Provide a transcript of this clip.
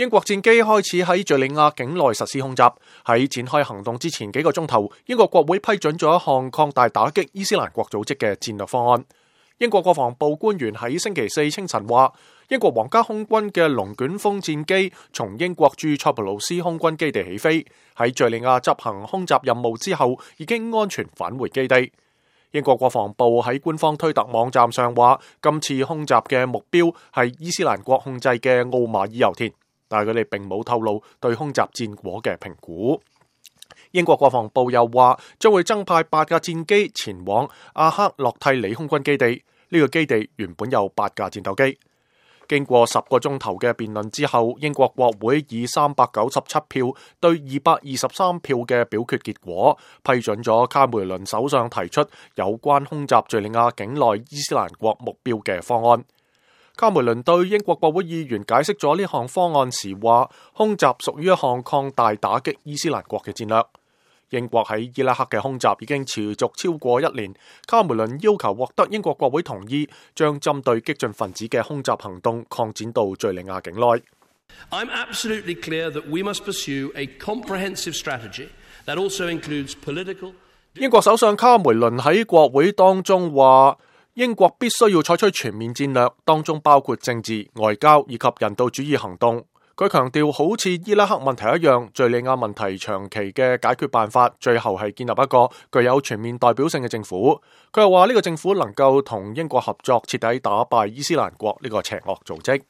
英國戰機開始喺敘利亞境內實施空襲。喺展開行動之前幾個鐘頭，英國國會批准咗一項擴大打擊伊斯蘭國組織嘅戰略方案。英國國防部官員喺星期四清晨話，英國皇家空軍嘅龍捲風戰機從英國駐塞浦路斯空軍基地起飛，喺敘利亞執行空襲任務之後，已經安全返回基地。英國國防部喺官方推特網站上話，今次空襲嘅目標係伊斯蘭國控制嘅奧馬爾油田，但係佢哋並冇透露對空襲戰果嘅評估。英國國防部又話，將會增派8架戰機前往阿克洛蒂里空軍基地，呢個基地原本有8架戰鬥機。經過10個鐘頭嘅辯論之後，英國國會以397票對223票嘅表決結果，批准咗卡梅倫首相提出有關空襲敘利亞境內伊斯蘭國目標嘅方案。卡梅倫對英國國會議員解釋咗呢項方案時話，空襲屬於一項擴大打擊伊斯蘭國嘅戰略。英國喺伊拉克嘅空襲已經持續超過1年，卡梅倫要求獲得英國國會同意，將針對激進分子嘅空襲行動擴展到敘利亞境內。I'm absolutely clear that we must pursue a comprehensive strategy that also includes political。英國首相卡梅倫喺國會當中話，英國必須要採取全面戰略，當中包括政治、外交以及人道主義行動。佢強調，好似伊拉克問題一樣，敘利亞問題長期嘅解決辦法，最後係建立一個具有全面代表性嘅政府。佢又話呢個政府能夠同英國合作，徹底打敗伊斯蘭國呢個邪惡組織。